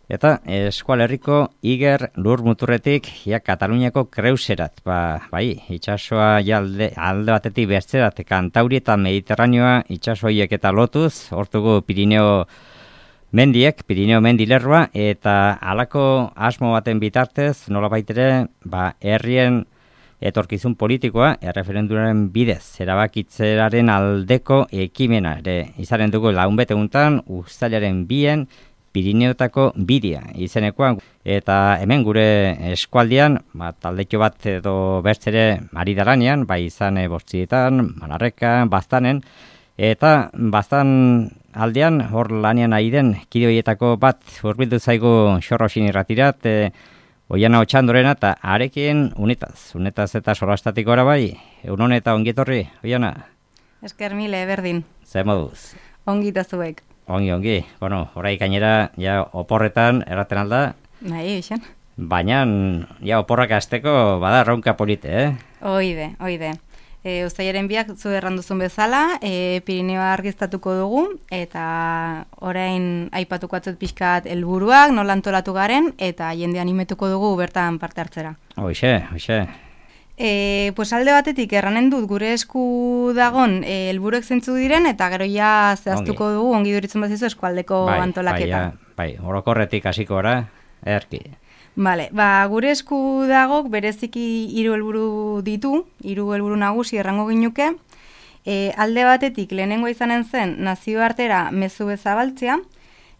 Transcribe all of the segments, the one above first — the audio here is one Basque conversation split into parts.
Eta Eskualerriko Iger lur muturretik Kataluniako Kreuserat, bai, itsasoa alde batetik besterat, Kantauri eta Mediterraneoa itsasoiek eta lotuz, hortugu Pirineo mendilerroa, eta halako asmo baten bitartez, nolabait ere, herrien etorkizun politikoa, erreferendumaren bidez, erabakitzeraren aldeko ekimena, ere izanen dugu launbete guntan, uztailaren 2 Pirineotako bidia izenekoa, eta hemen gure eskualdean, taldetxo bat edo bertzere ari daranean, bai izan Bortzietan, Manarrekan, Baztanen, eta Baztan aldean, hor lanean ari den kideoietako bat hurbildu zaigu Xorroxin irratirat, Oiana Otxandorena, eta arekin unetaz eta solastatik gora bai, egun eta ongietorri, Oiana? Esker mile, berdin. Zer moduz? Ongita zuek. Ongi. Bueno, orai gainera, oporretan erraten alda. Nahi, eixen. Baina, oporrak hasteko bada erronka polite, Oide. Uztailaren 2 zu erranduzun bezala, Pirineoa argiztatuko dugu, eta orain aipatuko atzut pixkat helburuak, nola antolatu garen, eta jende animetuko dugu bertan parte hartzera. Hoxe. Pues alde batetik erranen dut gure esku dagon helburuek zeintzu diren, eta gero ja zehaztuko dugu ongi duritzen bazizu eskualdeko antolaketa. Bai, orokorretik hasiko ora, erki. Vale, gure esku dagok bereziki 3 helburu ditu, 3 helburu nagusi errango ginuke. Alde batetik lehenengo izanen zen nazioartera mezu bezabaltzea,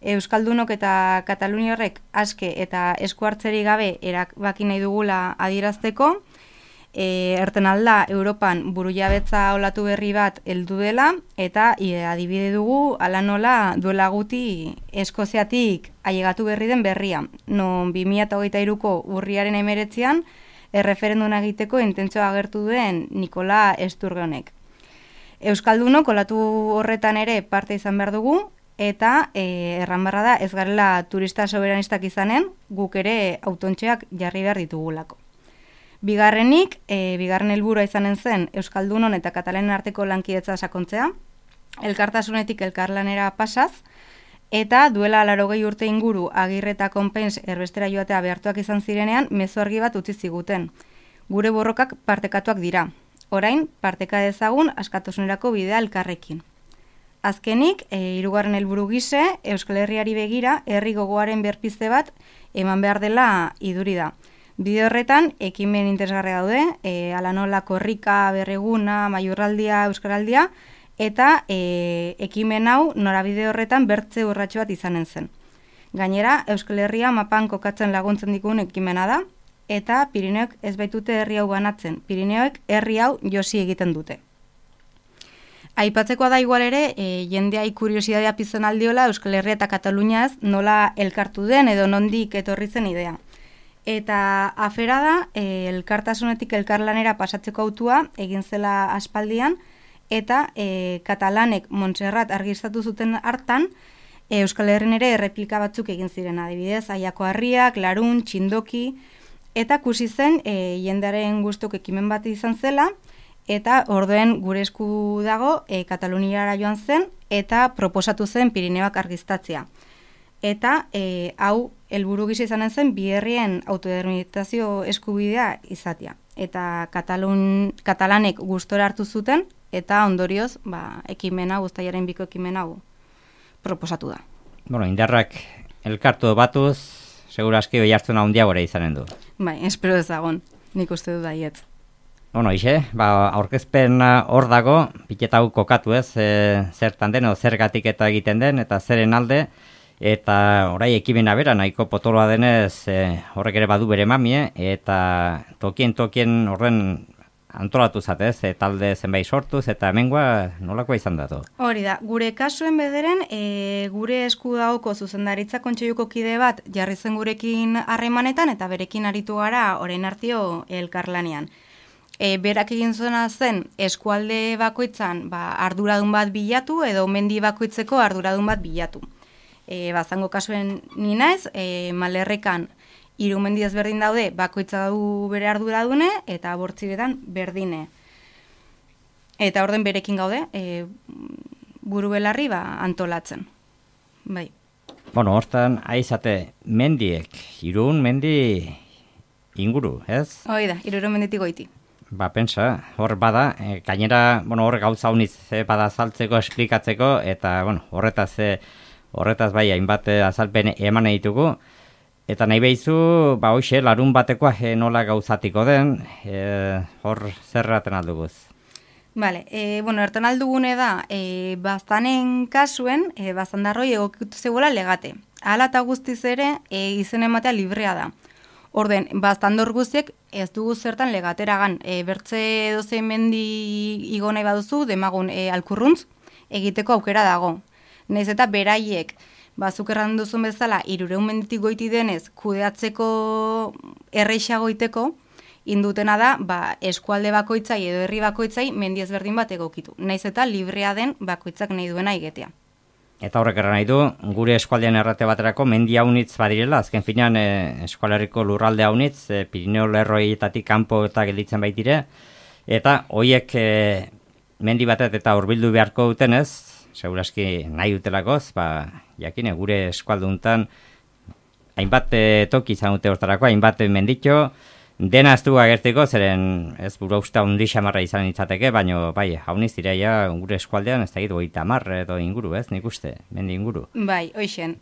Euskaldunok eta Kataluniarrek aske eta esku hartzeri gabe erabaki nahi dugula adierazteko, erten alda Europan burujabetza olatu berri bat heldu dela, eta adibide dugu ala nola duela guti Eskoziatik ailegatu berri den berria, non 2023ko urriaren 19an erreferenduma egiteko intentzioa agertu duen Nikola Sturgeonek. Euskaldunok olatu horretan ere parte izan behar dugu, eta erran barra da ez garela turista soberanistak izanen, guk ere autontxeak jarri behar ditugulako. Bigarren helburua izanen zen Euskaldunon eta Katalanen arteko lankidetza sakontzea, elkartasunetik elkarlanera pasaz, eta duela 80 urte inguru Agirre eta Konpens erbestera joatea behartuak izan zirenean mezu argi bat utzi ziguten. Gure borrokak partekatuak dira. Orain, parteka dezagun askatasunerako bidea elkarrekin. Azkenik, 3. helburu gise, Euskal Herriari begira, herri gogoaren berpizte bat eman behar dela iduri da. Bide horretan, ekimen interesgarria daude, ala nola korrika, berreguna, maiurraldia, euskaraldia, eta ekimen hau norabide horretan bertze urratxo bat izanen zen. Gainera, Euskal Herria mapan kokatzen laguntzen dikun ekimena da, eta Pirineoek ez baitute herri hau banatzen, Pirineoek herri hau josi egiten dute. Aipatzekoa da igual ere, jendea kuriosidadea pizten aldiola Euskal Herria eta Kataluniaz nola elkartu den edo nondik etorri zen idea. Eta afera da, elkartasunetik elkarlanera pasatzeko autua egin zela aspaldian, eta Katalanek Montserrat argiztatu zuten hartan, Euskal Herrin ere erreplika batzuk egin ziren, adibidez, Aiako Harriak, Larun, Txindoki, eta kusi zen jendearen gustuk ekimen bat izan zela, eta orduen gure esku dago Kataluniara joan zen, eta proposatu zen Pirineoak argiztatzea. Eta hau helburu gisa izanen zen bi herrien autodeterminazio eskubidea izatea. Eta katalanek gustora hartu zuten, eta ondorioz ekimena, uztailaren 2ko ekimen hau proposatu da. Bueno, indarrak elkartu batuz, segurazki oihartzuna handiagora izanen du. Bai, espero ezagon, nik uste du daiet. Bueno, aurkezpen hor dago, piketa hau kokatu zertan den, zergatik eta egiten den, eta zeren alde, eta orai ekimena bera, nahiko potoloa denez, horrek ere badu bere mamie, eta tokien horren antolatu zatez, talde zenbait sortuz, eta hemengoa nolakoa izan datu? Hori da, gure kasuen bederen, gure esku dago zuzendaritza kontseiluko kide bat jarri zen gurekin harremanetan, eta berekin aritu gara orain artio elkarlanean. Berak egin zuena zen eskualde bakoitzan arduradun bat bilatu, edo mendi bakoitzeko arduradun bat bilatu. Zango kasuen ni naiz, Malerrekan 3 mendi ezberdin daude, bakoitza du bere arduradune, eta Bortziretan berdine. Eta orden berekin gaude, buru belarri antolatzen. Bai. Bueno, hortan, aizate, mendiek, Irun mendi inguru, ez? Hoi da, Irurun menditik goiti. Ba, pensa, hor bada, gainera, bueno, hor gauza uniz bada azaltzeko, esplikatzeko, eta, bueno, horretaz bai, hainbat azalpen eman ditugu, eta nahi behizu, ba, hoxe, larun batekoa nola gauzatiko den, hor zerraten alduguz. Vale, bueno, ertan aldugune da, bastanen kasuen, bastandarroi egokitu zegoela legate. Hala eta guztiz ere, izen ematea librea da. Orden, bastandor guztiek ez dugu zertan legateragan. Bertze dozein mendi igo nahi baduzu, demagun alkurruntz, egiteko aukera dago. Naiz eta beraiek, bazuk erran duzun bezala, 300 menditik goiti denez, kudeatzeko erreixa goiteko, indutena da, eskualde bakoitzai edo herri bakoitzai mendi ezberdin bat egokitu. Naiz eta librea den bakoitzak nahi duena egitea. Eta horrek erran nahi du, gure eskualdean errate baterako mendi haunitz badirela, azken finean eskualerriko lurralde haunitz, Pirineo lerroietatik kanpo eta gelditzen baitire, eta hoiek mendi batet eta hurbildu beharko dutenez, seguraski nahi dutelakoz, jakine gure eskualduntan hainbat toki izan dute hortarako, hainbat menditxo, dena ez du agertiko, zeren ez buru usta hundi xamarra izan itzateke, baina bai, hauniz direia gure eskualdean ez da gitu 30 edo inguru, ez, nik uste, mendi inguru. Bai, hoixen,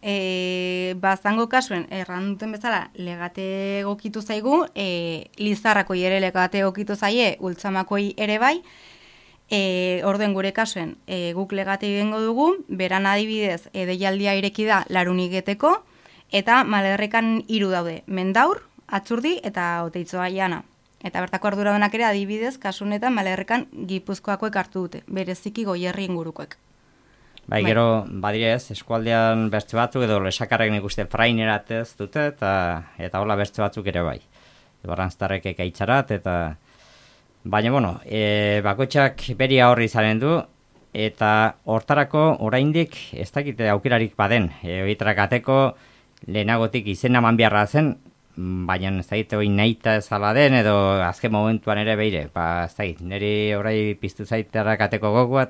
zango kasuen, erran duten bezala, legate egokitu zaigu, Lizarrakoi ere legate egokitu zaie, Ultzamakoi ere bai, orden gure kasuen, guk legate egingo dugu, beran adibidez, deialdia ireki da laruniketeko, eta Malerrekan 3 daude, Mendaur, Atzurdi eta Oteitzoa Jana. Eta bertako arduradunak ere adibidez, kasunetan Malerrekan Gipuzkoakoek hartu dute, bereziki Goierri ingurukoek. Bai, gero, badirez, eskualdean bertze batzuk edo lesakarrek nik uste fraineratez dute, eta hola bertze batzuk ere bai. Barranztarrek ekaitzarat, eta... Baina, bueno, bakoitzak beria horri izanen du, eta hortarako oraindik ez dakite aukerarik baden. Oitrak ateko lehenagotik izena eman beharra zen, baina ez dakit hori nahita ezala den, edo azken momentuan ere beire, ez dakit, niri orai piztu zaiterak ateko gogoa,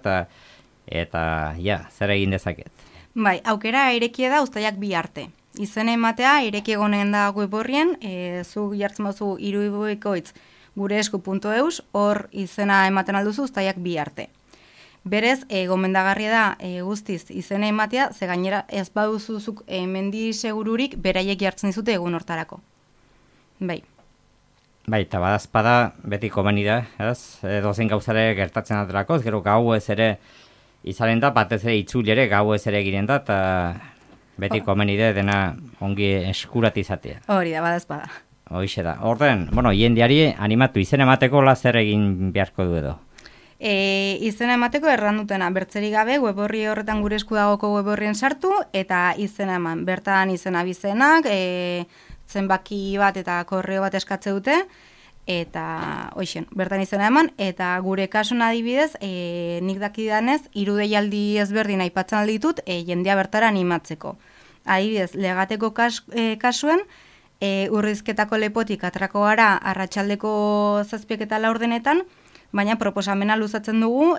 eta ja, zer egin dezaket. Bai, aukera irekie da uztaiak 2 arte. Izen ematea ireki egonen da web horrien, zu jartzen bazu iruibuikoitz gureesku.eus, hor izena ematen alduzu uztaiak 2 arte. Berez, gomendagarria da guztiz izena ematea, ze gainera ez baduzuzuk mendi segururik beraiek jartzen dizute egun hortarako. Bai. Bai, eta badazpada beti komeni da, ez? Dozen gauzare gertatzen aterakoz, gero gau ez ere izanen da, batez ere itzuli ere gau ez ere egiren da, eta beti komeni da dena ongi eskurat izatea. Hori da, badazpada. Hoixe da. Orden, bueno, jendeari animatu izen emateko zer egin beharko du edo? Izena emateko erran dutena, bertzerik gabe, web horri horretan gure esku dagoko web horrien sartu, eta izena eman, bertan izena bizenak, zenbaki bat eta korreo bat eskatze dute, eta hoixen, bertan izena eman, eta gure kasun adibidez, nik dakidanez, 3 deialdi ezberdin aipatzen alditut, jendea bertara animatzeko. Adibidez, legateko kasuen, urrizketako lepotik atrako gara arratsaldeko 7 eta 4 baina proposamena luzatzen dugu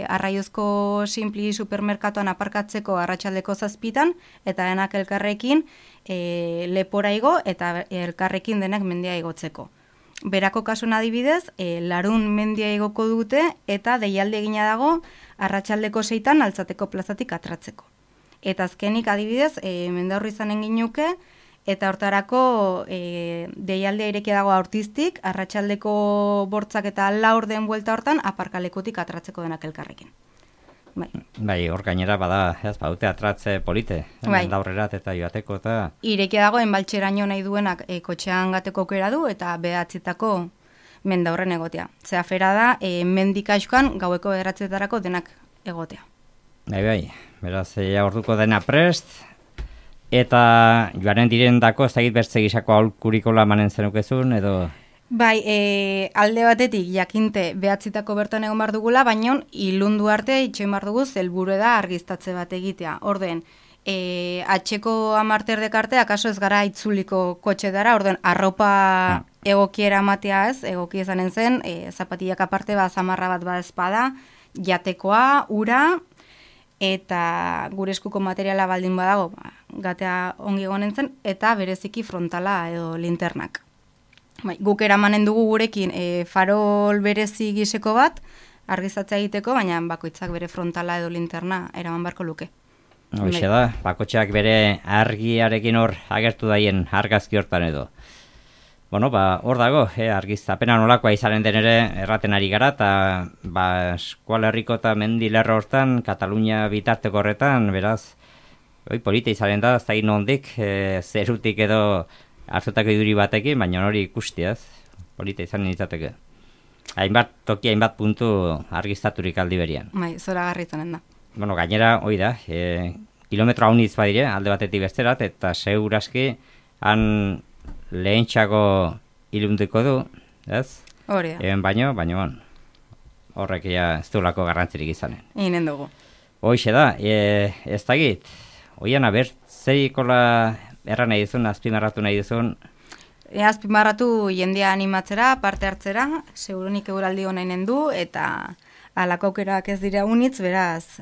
Arraiozko Simpli supermerkatuan aparkatzeko arratsaldeko 7 eta denak elkarrekin lepora igo eta elkarrekin denak mendia igotzeko. Berako kasun adibidez, larun mendia igoko dute eta deialde egina dago arratsaldeko 6 Altzateko plazatik atratzeko. Eta azkenik adibidez, Mendaurri izanen ginuke, eta hortarako deialdea irekia dago aurtiztik, arratsaldeko 8 eta 4 den buelta hortan, aparkalekutik atratzeko denak elkarrekin. Bai, hor gainera bada, badute atratze polite, Mendaurrerat eta joateko eta... Irekia dago, enbaltxeraino nahi duenak kotxean gateko aukera du, eta behatzitako Mendaurren egotea. Zeafera da, mendik aizkoan gaueko 9 denak egotea. Bai, beraz, orduko dena prest, eta joaren direndako, ez dakit bertze gisako aholkurikola manen zenukezun, edo... Bai, alde batetik jakinte behatzitako bertan egon bar dugula, baina ilundu arte itxoin bar dugu helburu da argiztatze bat egitea. Orden, atxeko 10 arte, akaso ez gara itzuliko kotxe dara, orden, arropa egokiera matea ez, egoki ezanen zen, zapatillak aparte, zamarra bat ezpada, jatekoa, ura, eta gure eskuko materiala baldin badago, gatea ongi egonen zen, eta bereziki frontala edo linternak. Guk eramanen dugu gurekin farol berezi giseko bat, argizatzea egiteko, baina bakoitzak bere frontala edo linterna eraman barko luke. Hoxe da, bakotxeak bere argiarekin hor agertu daien argazki hortan edo. Bueno, hor dago, argiztapena nolakoa izanen den ere erraten ari gara, eta Eskual Herriko eta mendilerro hortan, Katalunia bitarteko horretan, beraz, polita izanen da, ez da nondik, zerutik edo hartutako iduri batekin, baina hori ikustiaz, polita izanen izateke. Hainbat toki, hainbat puntu argiztaturik aldi berian. Zora garritzanen da. Bueno, gainera, hoi da, kilometro haunitz badire, alde batetik besterat, eta seguraski, han lehentxako ilunduko du, ez? Hori da. Baino, horrek ez duelako garrantzirik izanen. Inen dugu. Hoxe da, ez dagit, hoian zerikola erran nahi duzun, azpimarratu nahi duzun? Azpimarratu jendea animatzera, parte hartzera, segurunik eguraldi honainen du, eta alako aukerak ez dira unitz, beraz,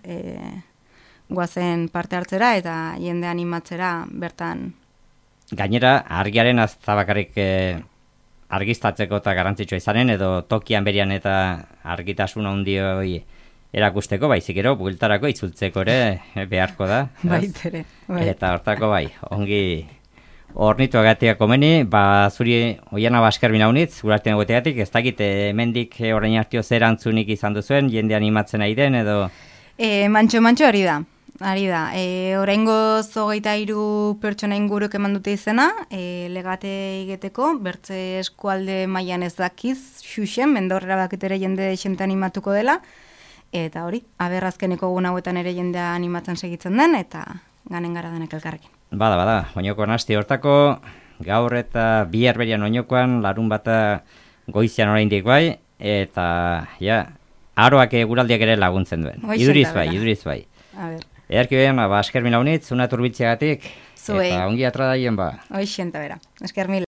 guazen parte hartzera, eta jendea animatzera bertan. Gainera, argiaren aztabakarrik argiztatzeko eta garrantzitsua izanen, edo tokian berian eta argitasun handioi erakusteko, baizik ero, bueltarako itzultzeko ere beharko da. Baitere. Eta hortako ongi ornitu agatia komeni, zuri Oiana Baskermin haunitz, gurartien egoteatik, ez dakit, hemendik orain hartio zer antzunik izan duzuen, jende animatzen nahi den, edo? Mantxo hori da. Oraingoz 23 pertsona inguruk eman dute izena, legate egiteko, bertze eskualde mailan ez dakiz, xuxen, mendorrera bakitere jende xente animatuko dela, eta hori, aberrazkeneko egun hauetan ere jendea animatzen segitzen den, eta ganen gara denek elkarrekin. Bada, oinokoan hasti hortako, gaur eta bihar berian oinokoan, larun bata goizian oraindik bai, eta aroak eguraldiak ere laguntzen duen. Iduriz bai. Edarki behan, Baskermin haunitz, una turbitziagatik, eta ongi atra daien ba. Hoixenta bera, esker mila.